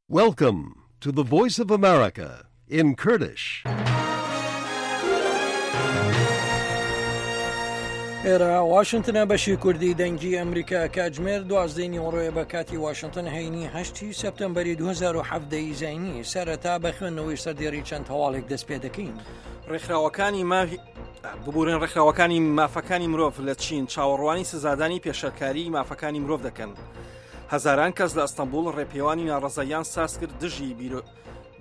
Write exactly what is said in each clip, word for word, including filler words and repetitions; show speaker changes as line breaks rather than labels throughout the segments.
Welcome to the Voice of America in Kurdish.
ئێرە واشنتنە بەشی کوردی دەنگی ئەمریکا کاتژمێر دوازدەی نیوەڕۆیە بە کاتی واشنتن هەینی هەشتی سێپتەمبەری دوو هەزار و حەڤدە ی زایینی. سەرەتا بە خوێندنەوەی سەردێڕی چەند هەواڵێک دەست پێ دەکەین.
ڕێکخراوەکانی ماوی ببورن ڕێکخراوەکانی مافەکانی مرۆڤ لە چین چاوەڕوانی سزادانی پێشەرکاری مافەکانی مرۆڤ دەکەن. هەزاران کەس لە ئەستەنبوڵ ڕێپێوانی ناڕەزاییان ساز کرد دژی بیرۆ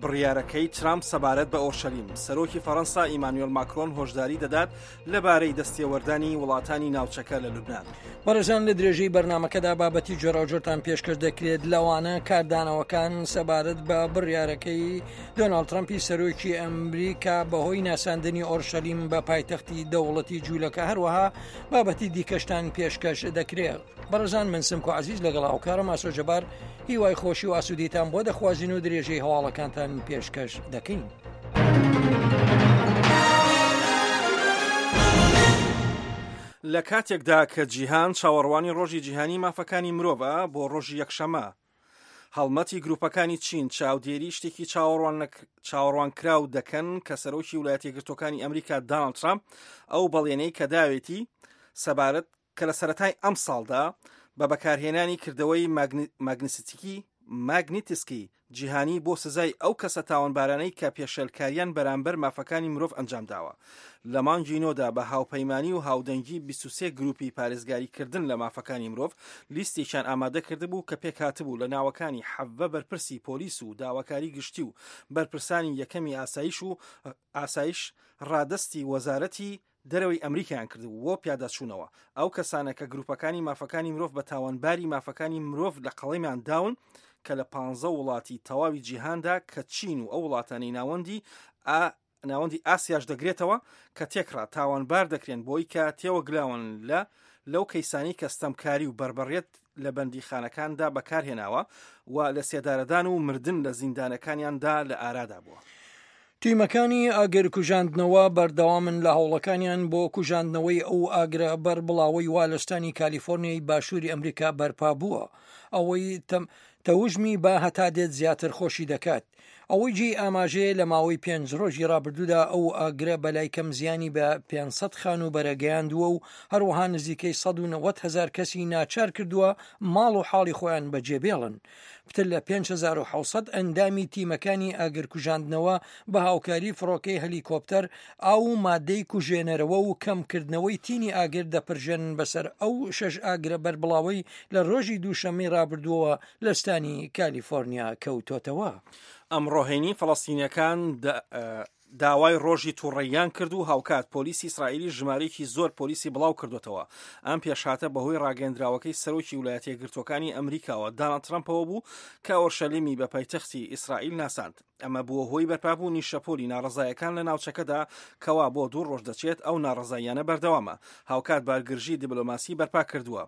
بڕیارەکەی ترامپ سەبارەت بە ئۆرشەلیم. سەرۆکی فەرەنسا ئیمانوێل ماکرۆن هۆشداری دەدات لەبارەی دەستێوەردانی وڵاتانی ناوچەکە لە لوبناان.
بەڕێزان لە درێژەی بەرنامەکەدا بابەتی جۆراوجۆرتان پێشکەش دەکرێت، لەوانە کاردانەوەکان سەبارەت بە بڕیارەکەی دۆناڵد ترەمپی سەرۆکی ئەمریکا بەهۆی ناساندنی ئۆرشەلیم بە پایتەختی دەوڵەتی جوولەکە، هەروەها بابەتی دیکەشتان پێشکەش دەکرێت. بەڕێزان من سمکۆ عەزیز لەگەڵ هاوکارم ئاسۆ جەبار هیوای خۆشی و ئاسوودیتان بۆ دەخوازین و درێژەی هەواڵەکانتان پێشکەش دەکەین.
لە کاتێکدا کە جیهان چاوەڕوانی ڕۆژی جیهانی مافەکانی مرۆڤە بۆ ڕۆژی یەکشەمە، هەڵمەتی گروپەکانی چین چاودێری شتێکی چاوەڕوانکراو دەکەن کە سەرۆکی ویلایەتە یەکگرتووەکانی ئەمریکا داناڵد ترامپ ئەو بەڵێنەی کە داوێتی سەبارەت کە لە سەرەتای ئەم ساڵدا بە بەکارهێنانی کردەوەی ماگنیسیتیکی ماگنیتسکی جیهانی بۆ سزای ئەو کەسە تاوانبارانەی کە پێشێلکاریان بەرامبەر مافەکانی مرۆڤ ئەنجام داوە. لە مانگی نۆدا بە هاوپەیمانی و هاودەنگی بیست و سێ گروپی پارێزگاریکردن لە مافەکانی مرۆڤ لیستێکیان ئامادە کردبوو کە پێکهاتبوو لە ناوەکانی حەڤە بەرپرسی پۆلیس و داواکاری گشتی و بەرپرسانی یەکەمی ئاسایش و ئاسایش ڕادەستی وەزارەتی دەرەوەی ئەمریکایان کردبوو بۆ پیاداچوونەوە. ئەو کەسانە کە گروپەکانی مافەکانی مرۆڤ بە تاوانباری مافەکانی مرۆڤ لە قەڵەمیان داون کە لە پانزە وڵاتی تەواوی جیهاندا کە چین و ئەو وڵاتانەی ناوەندی ناوەندی ئاسیاش دەگرێتەوە کە تێکڕا تاوانبار دەکرێن بۆی کە تێوەگلاون لە لەو کەیسانی کە ستەمکاری و بەربەڕێت لە بەندیخانەکاندا بەکارهێناوە و لە سێدارەدان و مردن لە زیندانەکانیاندا لە ئارادا بووە.
تیمەکانی ئاگر کوژاندنەوە بەردەوامن لە هەوڵەکانیان بۆ کوژاندنەوەی ئەو ئاگرە بەربڵاوەی وا لە ستانی کالیفۆرنیای باشووری ئەمریکا بەرپا بووە، ئەوەی تەوژمی با هەتا دێت زیاتر خۆشی دەکات. ئەوەی جێی ئاماژەیە لە ماوەی پێنج ڕۆژی ڕابردوودا ئەو ئاگرە بەلای کەم زیانی بە پێنج سەد خانووبەرە گەیاندووە و هەروەها نزیکەی سەد و نەوەد هەزار کەسی ناچار کردووە ماڵ و حاڵی خۆیان بەجێبێڵن. پتر لە پێنج هەزار و حەوت سەد ئەندامی تیمەکانی ئاگرکوژاندنەوە بە هاوکاری فڕۆکەی هەلیکۆپتەر ئاو و مادەی کوژێنەرەوە و کەمکردنەوەی تینی ئاگر دەپرژێنن بەسەر ئەو شەش ئاگرە بەربڵاوەی لە ڕۆژی دووشەممەی ڕابردووەوە لە ستانی کالیفۆرنیا کەوتۆتەوە.
ئەمڕۆ هەینی فەڵەستینیەکان داوای ڕۆژی تووڕەیان کرد و هاوکات پۆلیسی ئیسرائیلی ژمارەیەکی زۆر پۆلیسی بڵاو کردوتەوە. ئەم پێشهاتە بەهۆی ڕاگەندراوەکەی سەرۆکی ویلایەتە یەکگرتووەکانی ئەمریکاوە داناڵد ترەمپەوە بوو کە ئۆرشەلیمی بە پایتەختی ئیسرائیل ناساند. ئەمە بووە هۆی بەرپابوونی شەپۆلی ناڕەزایەکان لە ناوچەکەدا کەوا بۆ دوو ڕۆژ دەچێت ئەو ناڕەزاییانە بەردەوامە. هاوکات بارگرژی دیبلۆماسی بەرپا کردووە.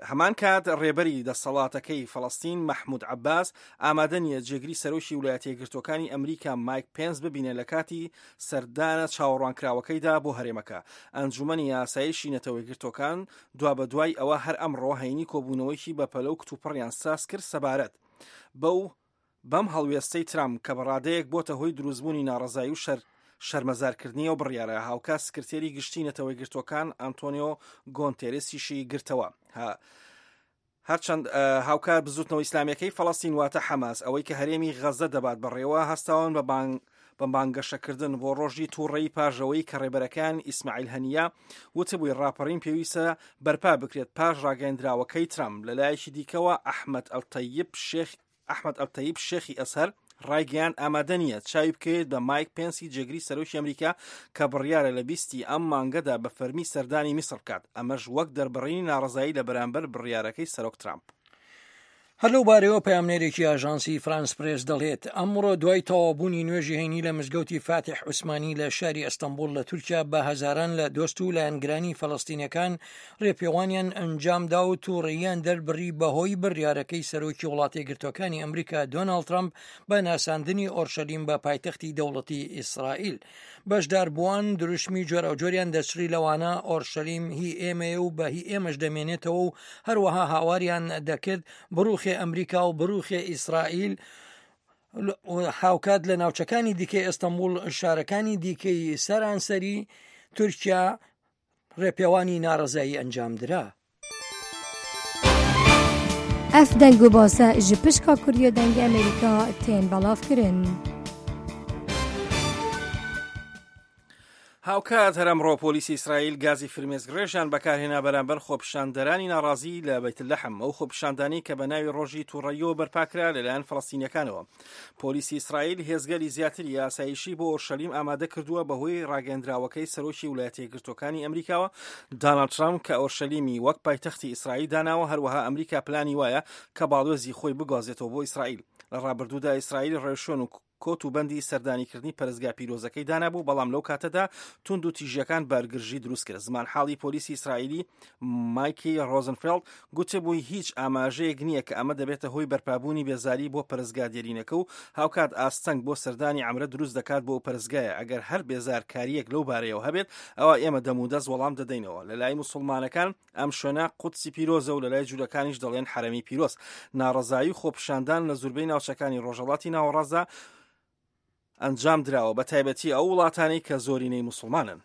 هەمان کات ڕێبەری دەسەڵاتەکەی فەڵەستین مەحمود عەباس ئامادە نییە جێگری سەرۆکی ویلایەتە یەکگرتووەکانی ئەمریکا مایک پێنس ببینێ لە کاتی سەردانە چاوەڕوانکراوەکەیدا بۆ هەرێمەکە. ئەنجومەنی ئاسایشی نەتەوە یەکگرتووەکان دوابەدوای ئەوە هەر ئەمڕۆ هەینی کۆبوونەوەیەکی بەپەلە و کتوپڕیان ساز کرد سەبارەت بەو بەم هەڵوێستەی ترامپ کە بەڕادەیەک بۆتە هۆی دروستبوونی ناڕەزایی و شەر شەرمەزارکردنی ئەو بڕیارە. هاوکات سکرتێری گشتی نەتەوە یەکگرتووەکان ئەنتۆنیۆ گۆنتێرێسیشی گرتەوە. هەرچەند هاوکات بزوتنەوە ئیسلامیەکەی فەڵەستین واتە حەماس ئەوەی کە هەرێمی غەزە دەبات بەڕێوە هەستاون بە بانگ بە بانگەشەکردن بۆ ڕۆژی تووڕەیی پاژەوەی کە ڕێبەرەکان ئیسماعیل هەنیە وتبووی ڕاپەڕین پێویستە بەرپا بکرێت پاش ڕاگەیەندراوەکەی ترامپ. لەلایەکی دیکەوە ئەحمەد ئەلتەیب شێخ ئەحمەد ئەلتەیب شێخی ئەزهەر ڕایگەیاند ئامادە نییە چاوی بکەوێت بە مایک پێنسی جێگری سەرۆکی ئەمریکا کە بڕیارە لە بیستی ئەم مانگەدا بە فەرمی سەردانی میسر بکات، ئەمەش وەک دەربڕینی ناڕەزایی لە بەرامبەر بڕیارەکەی سەرۆک ترامپ.
هەر لەو بارەیەوە پەیامنێرێکی ئاژانسی فرانس پرێس دەڵێت، ئەمڕۆ دوای تەواوبوونی نوێژی هەینی لە مزگەوتی فاتیح عوسمانی لە شاری ئەستەنبوڵ لە تورکیا بە هەزاران لە دۆست و لایەنگرانی فەلەستینەکان ڕێپێوانیان ئەنجامدا و تووڕەییان دەربڕی بەهۆی بڕیارەکەی سەرۆکی وڵاتە یەکگرتووەکانی ئەمریکا دۆناڵد ترەمپ بە ناساندنی ئۆرشەلیم بە پایتەختی دەوڵەتی ئیسرائیل. بەشداربووان دروشمی جۆراوجۆریان دەچڕی لەوانە ئۆرشەلیم هی ئێمەیە و بە هی ئێمەش دەمێنێتەوە و هەروەها هاواریان دەکرد بڕوخێن بڕوخێ ئەمریکا و بڕوخێ ئیسرائیل. هاوکات لە ناوچەکانی دیکەی ئەستەنبوڵ، شارەکانی دیکەی سەرانسەری تورکیا ڕێپێوانی ناڕەزایی ئەنجامدرا.
ئەف دەنگ و باسە ji pişka Kurdiya Dengê Amerîka tên belavkirin.
هاوکات هەر ئەمڕۆ پۆلیسی ئیسرائیل گازی فرمێسکڕێژیان بەکارهێنا بەرامبەر خۆپیشاندەرانی ناڕازی لە بەیت لەحم، ئەو خۆپیشاندانی کە بە ناوی ڕۆژی تووڕەییەوە بەرپاکرا لەلایەن فەڵەستینیەکانەوە. پۆلیسی ئیسرائیل هێزگەلی زیاتری ئاسایشی بۆ ئۆرشەلیم ئامادە کردووە بەهۆی ڕاگەندراوەکەی سەرۆکی ویلایەتە یەکگرتووەکانی ئەمریکاوە داناڵد ترامپ کە ئۆرشەلیمی وەک پایتەختی ئیسرائیل داناوە. هەروەها ئەمریکا پلانی وایە کە باڵوێزی خۆی بگوازێتەوە بۆ ئیسرائیل. لە ڕابردوودا ئیسرائیل ڕێوشوێن و کۆت و بەندی سەردانیکردنی پەرستگا پیرۆزەکەی دانابوو، بەڵام لەو کاتەدا توند و تیژیەکان بارگرژی دروست کرد. زمانحاڵی پۆلیسی ئیسرائیلی مایکی ڕۆزنفێڵد گوتبووی هیچ ئاماژەیەک نییە کە ئەمە دەبێتە هۆی بەرپابوونی بێزاری بۆ پەرستگا دێرینەکە و هاوکات ئاستەنگ بۆ سەردانی عەمرە دروست دەکات بۆ پەرستگایە. ئەگەر هەر بێزارکاریەک لەو بارەیەوە هەبێت ئەوە ئێمە دەمودەست وەڵام دەدەینەوە. لە لای موسڵمانەکان ئەم شوێنە قودسی پیرۆزە و لە لای جوولەکانیش دەڵێن حەرەمی پیرۆز. ناڕەزایی و خۆپیشاندان لە زوربەی ناوچەکانی ڕۆژهەڵاتی ناوەڕاستدا ئەنجام دراوە، بە تایبەتی ئەو وڵاتانەی کە زۆرینەی موسڵمانن.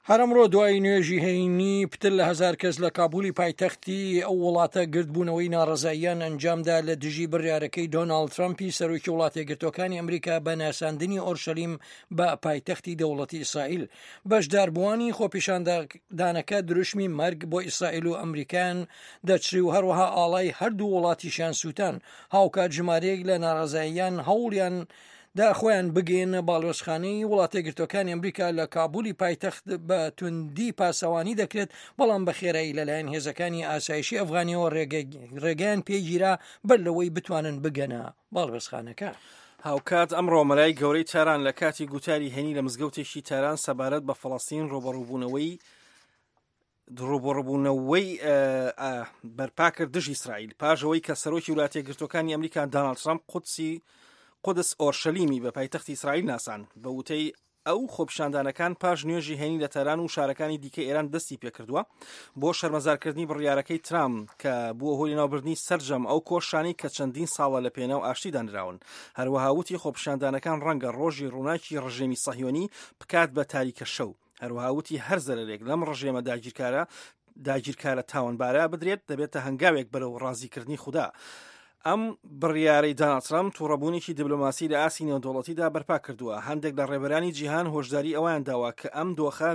هەر ئەمڕۆ دوای نوێژی هەینی پتر لە هەزار کەس لە کابولی پایتەختی ئەو وڵاتە گردبوونەوەی ناڕەزاییان ئەنجامدا لە دژی بڕیارەکەی دۆناڵد ترەمپی سەرۆکی وڵاتە یەکگرتووەکانی ئەمریکا بە ناساندنی ئۆرشەلیم بە پایتەختی دەوڵەتی ئیسرائیل. بەشداربووانی خۆپیشاندانەکە دروشمی مەرگ بۆ ئیسرائیل و ئەمریکایان دەچری و هەروەها ئاڵای هەردوو وڵاتیشیان سووتان. هاوکات ژمارەیەک لە ناڕەزاییان هەوڵیان دا خۆیان بگەێنە باڵۆزخانەی وڵاتە یەکگرتووەکانی ئەمریکا لە کابولی پایتەخت بە توندی پاسەوانی دەکرێت، بەڵام بە خێرایی لەلایەن هێزەکانی ئاسایشی ئەفغانیەوە ڕێگەیان پێگیرا بەر لەوەی بتوانن بگەنە باڵۆزخانەکە.
هاوکات ئەمڕۆ مەلای گەورەی تاران لە کاتی گوتاری هەینی لە مزگەوتێکی تاران سەبارەت بە فەڵەستین ڕوبەڕووبوونەوەی ڕوبەڕووبوونەوەی بەرپا کرد دژی ئیسرائیل پاش ئەوەی کە سەرۆکی وڵاتە یەکگرتووەکانی ئەمریکا داناڵد ترەمپ قودسی قودس ئۆرشەلیمی بە پایتەختی ئیسرائیل ناسان. بە وتەی ئەو خۆپیشاندانەکان پاش نوێژی هەینی لە تاران و شارەکانی دیکە ئێران دەستی پێکردووە بۆ شەرمەزارکردنی بڕیارەکەی ترامپ کە بووە هۆی لەناوبردنی سەرجەم ئەو کۆشانەی کە چەندین ساڵە لە پێناو ئاشتی دانراون. هەروەها وتی خۆپیشاندانەکان ڕەنگە ڕۆژی ڕووناکی ڕژێمی سەهیۆنی بکات بە تاریکە شەو. هەروەها وتی هەر زەرەرێک لەم ڕژێمە داگیرکارە داگیرکارە تاوانبارە بدرێت دەبێتە هەنگاوێک بەرەو ڕازیکردنی خودا. ئەم بڕیارەی داناڵد ترەمپ تووڕەبوونێکی دیبلۆماسی لە ئاستی نێودەوڵەتیدا بەرپا کردووە. هەندێک لە ڕێبەرانی جیهان هۆشداری ئەویان داوە کە ئەم دۆخە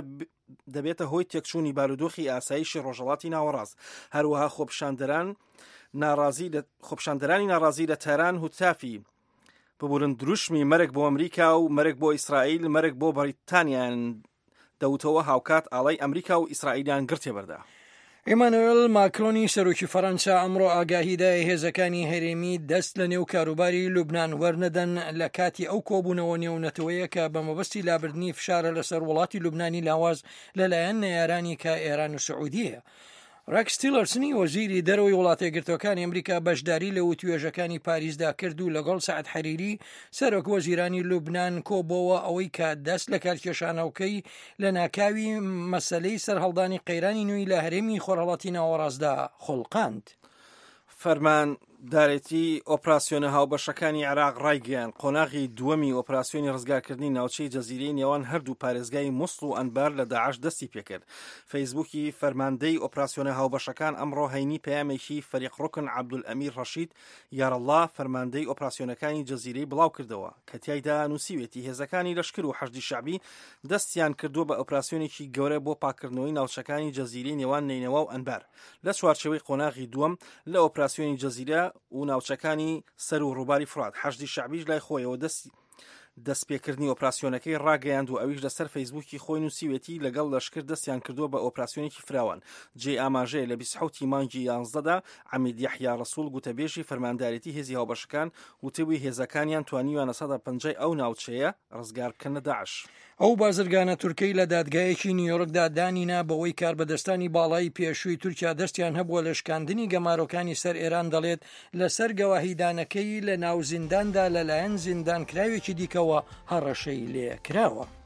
دەبێتە هۆی تێکچوونی بارودۆخی ئاسایشی ڕۆژهەڵاتی ناوەڕاست. هەروەها خۆپیشاندەران ناڕازی لە خۆپیشاندەرانی ناڕازی لە تاران هوتافی ببورن دروشمی مەرگ بۆ ئەمریکا و مەرگ بۆ ئیسرائیل، مەرگ بۆ بەریتانیان دەوتەوە. هاوکات ئاڵای ئەمریکا و ئیسرائیلیان گرتێ بەردا.
ئیمانوێل ماکرۆنی سەرۆکی فەرەنسا ئەمڕۆ ئاگاهیدای هێزەکانی هەرێمی دەست لە نێو کاروباری لوبناان وەرنەدەن لە کاتی ئەو کۆبوونەوە نێونەتەوەیە کە بە مەبەستی لابردنی فشارە لەسەر وڵاتی لوبنانی لاواز لەلایەن نەیارانی کە ئێران و سعودیەیە. ڕێکس تیلەرسنی وەزیری دەرەوەی وڵاتە یەکگرتووەکانی ئەمریکا بەشداری لە وتوێژەکانی پاریسدا کرد و لەگەڵ سەعد حەریری سەرۆک وەزیرانی لوبناان کۆبەوە ئەوەی کە دەست لە کارکێشانەوەکەی لە ناکاوی مەسلەی سەرهەڵدانی قەیرانی نوێی لە هەرێمی خۆرهەڵاتی ناوەڕاستدا خوڵقاند.
فەرماندارێتی ئۆپراسیۆنە هاوبەشەکانی عێراق ڕایگەیاند قۆناغی دووەمی ئۆپراسیۆنی ڕزگارکردنی ناوچەی جەزیرەی نێوان هەردوو پارێزگای موسڵ و ئەنبار لە داعش دەستی پێکرد. فەیسبوکی فەرماندەی ئۆپراسیۆنە هاوبەشەکان ئەمڕۆ هەینی پەیامێکی فەریق ڕوکن عەبدولئەمیر ڕەشید یارەڵڵا فەرماندەی ئۆپراسیۆنەکانی جەزیرەی بڵاو کردەوە کە تیایدا نووسیوێتی هێزەکانی لەشکر و حەشدی شەعبی دەستیان کردووە بە ئۆپراسیۆنێکی گەورە بۆ پاکردنەوەی ناوچەکانی جەزیرەی نێوان نەینەوا و ئەنبار لە چوارچێوەی قۆناغی دووەم لە ئۆپراسیۆنی جەزیرە و ناوچەکانی سەر و ڕووباری فرات. حەشدی شەعبیش لای خۆیەوە دەستی دەستپێکردنی ئۆپراسیۆنەکەی ڕاگەیاند و ئەویش لەسەر فەیسبوکی خۆی نووسیوێتی لەگەڵ لەشکر دەستیان کردووە بە ئۆپراسیۆنێکی فراوان. جێ ئاماژەیە لە بیست و حەوت مانگی یانزدەدا عەمید یەحیا ڕەسوڵ گوتەبێژی فەرماندارێتی هێزی هاوبەشەکان وتبووی هێزەکانیان توانیویانە سەدا پەنجای ئەو ناوچەیە ڕزگار بکەن لە داعش.
ئەو بازرگانە تورکەی لە دادگایەکی نیویۆرکدا دانینا بەوەی کاربەدەستانی باڵای پێشووی تورکیا دەستیان هەبووە لە شکاندنی گەمارۆکانی سەر ئێران دەڵێت لەسەر گەواهیدانەکەی لە ناو زینداندا لەلایەن زیندانکراوێکی دیکەوە هەڕەشەی لێ کراوە.